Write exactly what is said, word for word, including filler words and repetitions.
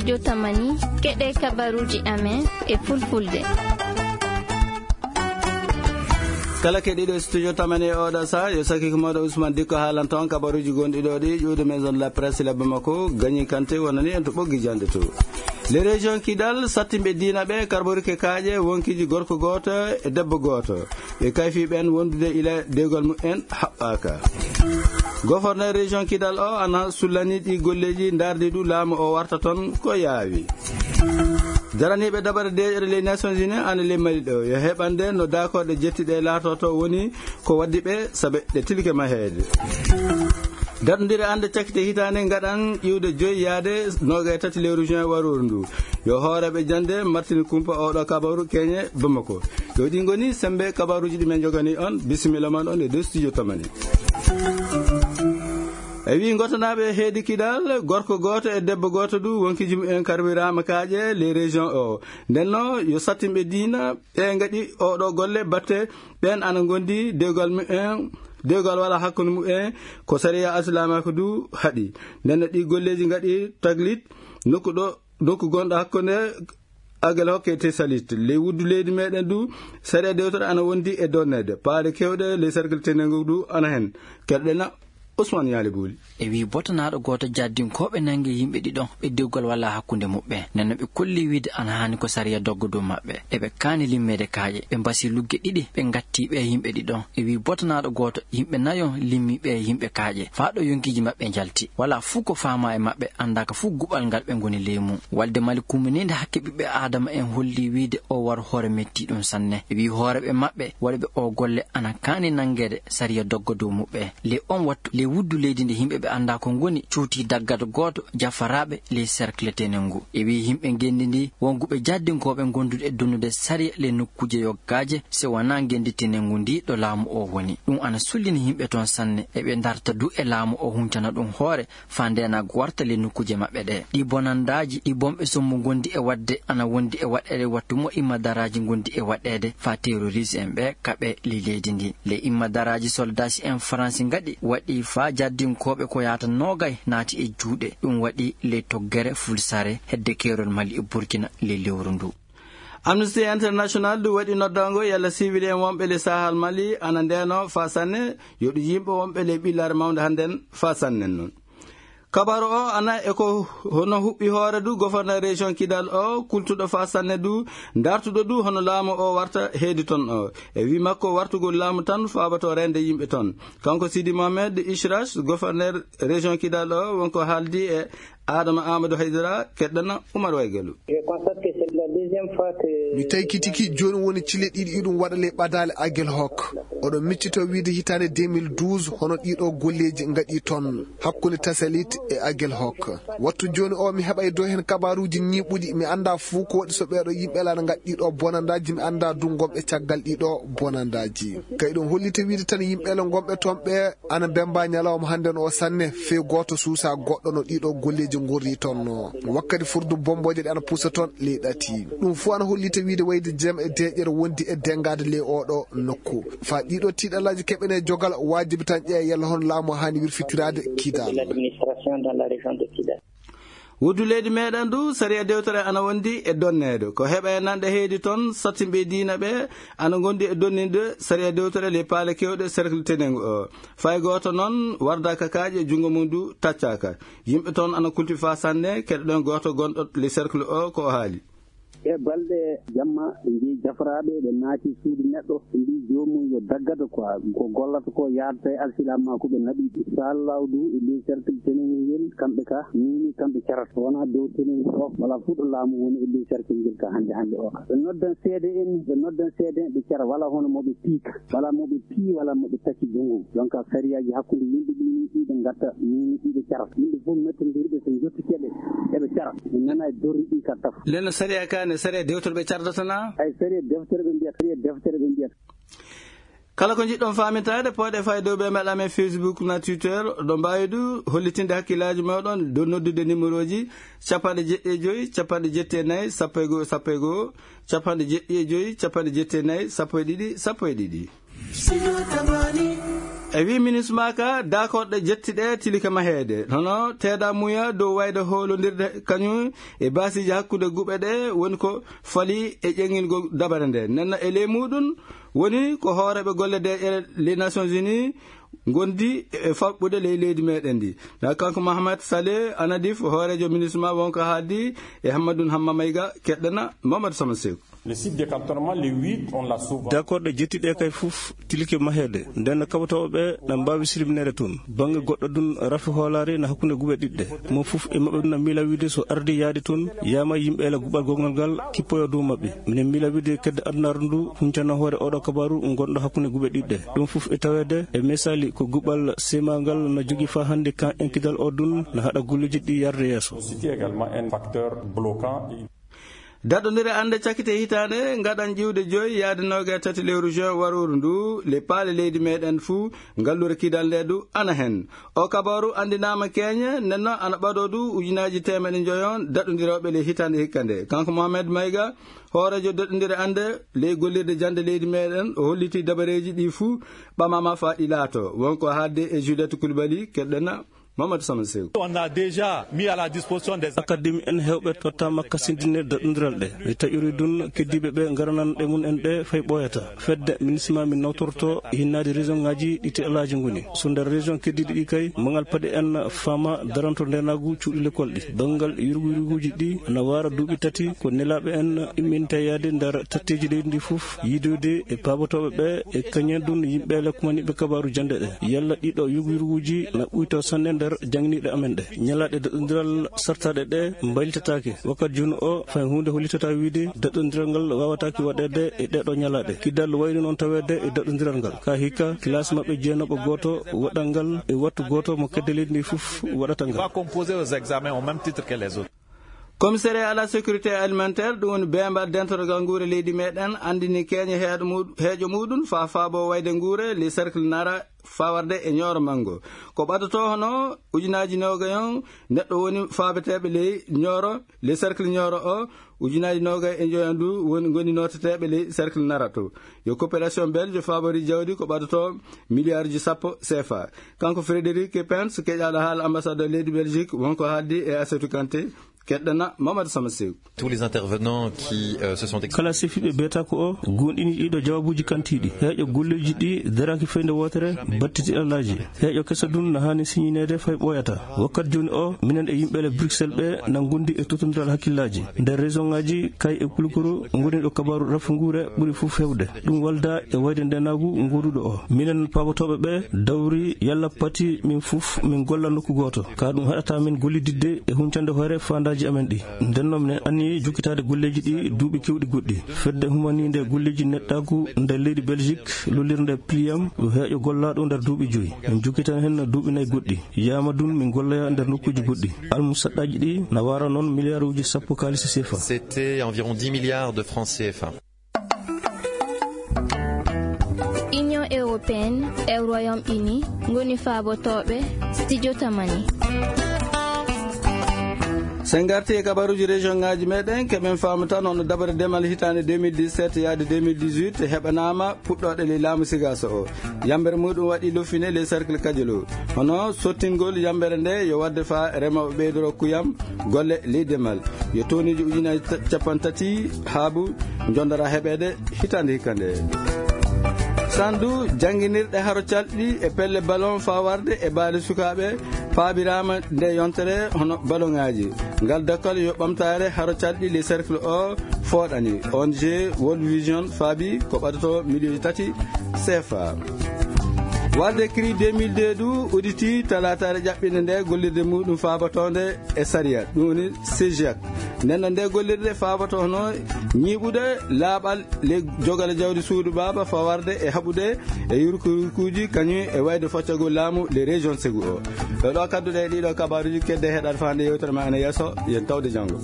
Studio Tamani, keɗee kabaruuji amen e fulfulde. Kala keɗiiɗo Studio Tamani e ooɗoo sahaa, yo sakiike mooɗon Usman Dikko haalanta on kabaruuji gonɗi ɗoo ɗi, ƴuwde Maison de la Presse Labba Makko, Gagnée Kanté wonani en to ɓoggi jannde to. Les régions Kidal, sattinɓe diina ɓe karborike kaaƴe, wonkiiji gorko gooto e debbo gooto. Ɓe kayfii ɓeen wondude ila dewgal mumen haɓɓaaka. Goforneer région Kidal o ana sullanii ɗii golleeji ndaardi ɗum laamu o warta toon ko yaawi. Daraniiɓe dabare deeƴere les Nations Unies ana ley Mali ɗo, yo heɓande no daakooɗe jettiɗe laatoto woni ko waddi ɓe sabe ɗe tilke maheede. Daɗondire annde cakkite hitaande ngaɗan iwde joy yaade noogay tati lewru juin warooru ndu. Yo hooreeɓe jannde martini kumpa ooɗoo kabaru keñe Bamako. Yo ɗi ngoni semmbe kabaruuji ɗi men njoganii on. Bisimilla mon on e dow studio Tamani. E wii ngotanaaɓe heedi Kidal, gorko gooto e debbo gooto du wonkiiji mumen karwiraama kaaƴe les régions o. Nden no yo sattinɓe diina ɓe ngaɗi ooɗoo golle batte ɓeen ana ngondi dewgal mumen, dewgal wala hakkunde mumen ko sariya asilaamaaku du haɗi. Nden no ɗii golleeji ngaɗi taglit nokku ɗo, nokku gonɗo hakkunde Agel Hokke e Tesalit. Ley wuddu leydi meɗen du, sariya dewtere ana wondi e donneede. Paale kewɗe ley cercle tenengu du ana hen. Keɗoɗen na Ousmane Yaali Booli. E wii botanaaɗo gooto jaddinkooɓe nangi yimɓe ɗiɗon ɓe dewgal wala hakkunde muɓɓen. Nden no ɓe kolli wiide ana haani ko sariya dogga dow maɓɓe. Eɓe kaani limmeede kaaƴe. Ɓe mbasi lugge ɗiɗi, ɓe ngatti ɓe yimɓe ɗiɗon. E wii botanaaɗo gooto yimɓe nayon limmi ɓe yimɓe kaaƴe. Faa ɗo yonkiiji maɓɓe njalti. Walaa fuu ko faamaa e maɓɓe, anndaaka fuu guɓal ngal ɓe ngoni ley mum. Walde Mali kumminiinde hakke ɓiɓɓe Aadama en holli wiide oo war hoore mettii ɗum sanne. E wii hooreeɓe maɓɓe waɗuɓe oo golle ana kaani nanngeede sariya dogga dow muɓɓe. Ley on wattu, ley wuddu leydi ndi yimɓe ɓe anndaa ko ngoni, cuutii daggado gooto jafaraaɓe ley cercle tenengu. E wii yimɓe ngenndi ndi, wonguɓe jaddinkooɓe gondude e donnude sariya ley nokkuuje yoggaaje, si wanaa ngenndi tenengu ndi ɗo laamu oo woni. Ɗum ana sullini yimɓe toon sanne, eɓe ndarta du e laamu oo huncana ɗum hoore, faa ndeenaagu warta ley nokkuuje maɓɓe ɗee. Ɗii bonandaaji, ɗi bonɓe sommu ngondi e waɗde, ana wondi e waɗeede wattu mo immadaraaji ngondi e waɗeede faa terorist en ɓee kaɓee ley leydi ndi. Ley immadaraaji soldaasi en Faransi ngaɗi, waɗi faa jaddinkooɓe ko yaata noogay naati e juuɗe. Ɗum waɗi ley toggere Fulsare hedde keerol Mali e Burkina ley lewru ndu. Amnesty International du waɗi noddaango yalla siwil en wonɓe ley Sahal Mali ana ndeenoo faa sanne, yo ɗum yimɓe wonɓe ley ɓillaare mawnde hannden faa sanne non. Kabaru o ana e ko hono huɓɓi hoore du goforneer région Kidal o, kultuɗo faa sanne du, ndartuɗo du hono laamu o warta heedi toon o. E wii makko, wartugol laamu tan faabato reende yimɓe toon. Kanko Sidi Mohamed Ishrash, goforneer région Kidal o, wonko haaldi e Adama Amadou Haydara, keɗɗana Umar Waygalu. Je constate que c'est la deuxième fois que... Mi taykitiki jooni woni cille ɗiɗi iɗum waɗa ley ɓadaale Agel Hok. Oɗon miccitoo wiide hitaande deux mille douze, hono ɗiiɗoo golleeji ngaɗii toon, hakkunde Tasalit e Agel Hok. Wattu jooni oo, mi heɓay dow heen kabaaruuji ñiiɓuɗi, mi anndaa fuu ko waɗi so ɓeeɗoo yimɓe laana ngaɗi ɗiiɗoo bonandaaji, mi anndaa du ngonɓe caggal ɗiiɗoo bonandaaji. Kay ɗum hollita wiide tan yimɓe le ngonɓe toon ɓee ana mbemmbaa ñalawma hannden oo sanne, fey gooto suusaa goɗɗo no ɗiiɗoo golleeji ngorri toon no. Wakkati furdu bommbooje ɗe ana pusa toon ley ɗati. Ɗum fuu ana hollita wiide wayde jam e deeƴere wondi e denngaade ley ooɗoo nokku. Faa ɗiiɗoo tiiɗalaaji keɓanee jogal, waajibi tan ƴeewa yalla hono laamu haani wirfitiraade Kidal. Wuddu leydi meɗen du, sariya dewtere ana wondi e donneede. Ko heɓa e nanɗe heedi toon, sattinɓe diina ɓe ana ngondi e donninde sariya dewtere ley paale kewɗe cercle tenengu o. Fay gooto noon wardaaka kaaƴe, junngo mum du taccaaka. Yimɓe toon ana kulti faa sanne, keɗoɗen gooto gonɗo ley cercle o ko o haali. E balɗe jamma, ɓe njehi jafaraaɓe, ɓe naati suudu neɗɗo, ɓe mbii joomum yo daggado quoi, ko gollata ko yaadata e alsilaamaaku, ɓe naɓi ɗum. Inshallahu du, e ley cercle tenengu ngel, kamɓe ka, mini kamɓe carata. Wonaa dow tenengu o, walaa fuu ɗo laamu woni e ley cercle ngel ka hannde hannde o ka. Ɓe noddan seede en, ɓe noddan seede en, ɓe cara, walaa hono mo ɓe piika. Walaa mo ɓe pii, walaa mo ɓe tacci junngo. Donc, sariyaaji hakkunde yimɓe ɗii nii, ɗii ɓe ngatta nii, nii ɗii ɓe cara. Yimɓe fof mettondirɓe so njottike ɓe, eɓe cara. Mi nana e dorri ɗii ka tafo. Nden no sariya kaa ne, sariya dewtere ɓe cardata naa? Ay, sariya deftere ɓe mbiyata, sariya deftere ɓe mbiyata. Kala ko njiɗɗon faamintaade, pooɗee faa e dow ɓe mbaɗa men Facebook naa Twitter. Oɗon mbaawi du hollitinde hakkillaaji mooɗon dow noddude nimerooji cappanɗe jeɗɗi e joy, cappanɗe jetti e nayi, sappo e goo, sappo e goo, cappanɗe jeɗɗi e joy, cappanɗe jetti e nayi, sappo e ɗiɗi, sappo e ɗiɗi. Studio Tamani. E wii minisma ka, daakorɗe jetti ɗee tilike maheede. Hono teedaa muya dow wayde hoolondirde kañum e baasiiji hakkunde guɓe ɗee woni ko fali e ƴeŋingol dabare ndee. Nden e ley muuɗum woni ko hooreeɓe golle deeƴere les Nations Unies ngondi e faɓɓude ley leydi meeɗen ndi. Na kanko Mohamed Saleh Anadif, hooreejo minisma, wonko haaldi e Hammadun Hamma Mayga, keɗɗana Mamadou Sama Seeku. Le site de cantonnement, le huit, on l'a souvent. D'accord, ɗe jetti ɗe kay fof tilike maheede. Nden kaɓotooɓe ɓe na mbaawi sirbineede toon. Bannge goɗɗo ɗum, rafi hoolaare na hakkunde guɓe ɗiɗɗe. Mo fof e maɓɓe ɗum na miila wiide so ardi yaade toon, yaama yimɓe ela guɓal gongal ngal kippoyo dow maɓɓe. Minen miila wiide kedde adunaaru ndu huncana hoore oɗo kabaaru ngonɗo hakkunde guɓe ɗiɗɗe. Ɗum fof e taweede e misaali ko guɓal semangal na jogii faa hannde kan enkidal o ɗum na haɗa golleeji ɗi yarde yeeso. Aussi également un facteur bloquant. Daɗondire annde cakkite hitaande ngaɗan ƴiwde joyi yaade noogaye tati lewru juin warooru ndu, le paale leydi meeɗen fuu, ngalluure kidal nde du ana hen. O kabaaru anndinaama keeñe, nden non ana ɓadoo du ujunaaji teemeɗe njoyon daɗondirooɓe le hitaande hikka nde. Kanko Mohamed Mayga, hooreejo daɗondire annde ley gollirde jannde leydi meeɗen, o hollitii dabareeji ɗi fuu ɓamaama faa ɗi laato. Wonko haalde e Juliette Coulibaly, keɗɗena Mamadou Sama Sew. On a déjà mis à la disposition des académie en heewɓe tottaama kasindinirde daɗondiral ɗe. Mi taƴori ɗum keddiiɓe ɓe ngarananɗe mum en ɗe fay ɓooyata. Fedde minisma min nawtorto hinnaade région ŋaaji ɗi teelaaji ngoni. So nder région keddiiɗi ɗi kay, mangal paɗe en faama daranto ndeenaagu cuuɗi lekkol ɗi. Banngal yurgu yurguuji ɗi na waara duuɓi tati ko nelaaɓe en imminte yaade nder tatteeji leydi ndi fof, yiidoyde e paabotooɓe ɓe e kañen ɗum yimɓe le kumaniiɓe kabaaru jannde ɗe. Yalla ɗiɗo yurgu yurguuji na ɓuyto sanne nder jannginiiɗe amen ɗe. Ñalaaɗe daɗondiral sartaaɗe ɗe mbaylitataake. Wakkati jooni o, fay huunde hollitataa wiide daɗondiral ngal waawataake waɗeede e ɗeeɗoo ñalaaɗe. Kidal wayri noon taweede e daɗondiral ngal. Ka hikka, kilaas maɓɓe jeenooɓo gooto waɗal ngal e wattu gooto mo kedde leydi ndi fof waɗata ngal. Va composer aux examens au même titre que les autres. Commissariat à la sécurité alimentaire, ɗum woni beembal dentogal nguure leydi meeɗen, anndini keeñe heeɗo mu-, heeƴo muuɗum faa faabo wayde nguure, les cercles nara, fawarde e ñooro manngo. Ko ɓadotoo hono ujunaaji noogayon neɗɗo woni faabeteeɓe ley ñooro, ley cercle ñooro o, ujunaaji noogay e njoyo ndu woni, ngoni nooteteeɓe ley cercle nara to. Yo coopération belge fabori jawdi ko ɓadotoo miliyaaruuji sappo C F A. Kanko Frédéric Pence, keƴaaɗo haala ambassadeur leydi Belgique, wonko haaldi e Assetou Kanté, keɗɗana Mamadou Sama Sew. Tous les intervenants qui, euh, se sont ex- Kala sifiiɓe beetaako o, goonɗini ɗiɗo jawaabuuji kantiiɗi. Heeƴo golleeji ɗi daraaki fay nde wootere, battiti alaaji. Heeƴo keso ɗum na haani siñineede fay ɓooyata. Wakkati jooni o, minen e yimɓe le Bruxelles ɓe na ngondi e tottondiral hakkillaaji. Nder région ŋaaji, kay e kulukuru, ngoni ɗo kabaaru rafu nguure ɓuri fof heewde. Ɗum walda e wayde ndeenaagu ngoduɗo o. Minen paabotooɓe ɓe dawri yalla pati min fof min golla nokku gooto. Ka ɗum haɗata min gollididde e huncande hoore faandaaji amen ɗi. Nden non minen anni jokkitaade golleeji ɗi duuɓi keewɗi goɗɗi. Fedde humaniinde golleeji neɗɗaagu nder leydi Belgique, lollirnde Pliam, yo heeƴo gollaaɗo nder duuɓi joyi. Min jokkitan hen duuɓi nayi goɗɗi. Yaama ɗum min golloya nder nokkuuji goɗɗi. Almusaɗɗaaji ɗi na waara noon miliyaaruuji sappo kaalisi C F A. C'était environ dix milliards de francs C F A. Union européenne e Royaume-Uni ngoni faabotooɓe studio Tamani. So en ngartii e kabaruuji région ŋaaji meeɗen, keɓen faamu tan hono dabare demal hitaande deux mille dix-sept yaade deux mille dix-huit heɓanaama puɗɗooɗe ley laamu Sigaaso o. Yambere muuɗum waɗi loffine ley cercle Kajolo. Hono sottingol yambere nde yo waɗde faa remooɓe ɓeydoro kuyam golle ley demal. Yo toniiji ujunaaji ta-, cappanɗe tati haabu njondora heɓeede hitaande hikka nde. Sandu jannginirɗe haro calɗi e pelle ballon faa warde e baali sukaaɓe paabiraama nde yontere hono ballonŋaaji. Ngal dokkal yo ɓamtaare haro calɗi ley cercle o fooɗani. O N G World Vision faabi ko ɓadotoo miliyonji tati C F A. Walde CRI deux mille deux du udditii talaataare ƴaɓɓinde nde gollirde muuɗum faabatoonde e sariya, ɗum woni CEJIAC. Nden non nde gollirde faaboto hono ñiiɓude laaɓal ley jogale jawdi suudu baaba fawarde e haɓude e yurkuyurkuuji kañum e wayde foccagol laamu ley région Ségou o. Ɗo ɗo kadduɗe e ɗiɗo kabaaruuji, kedde heɗaade faa nde yewtere ma ana yeeso, yen tawde janngo.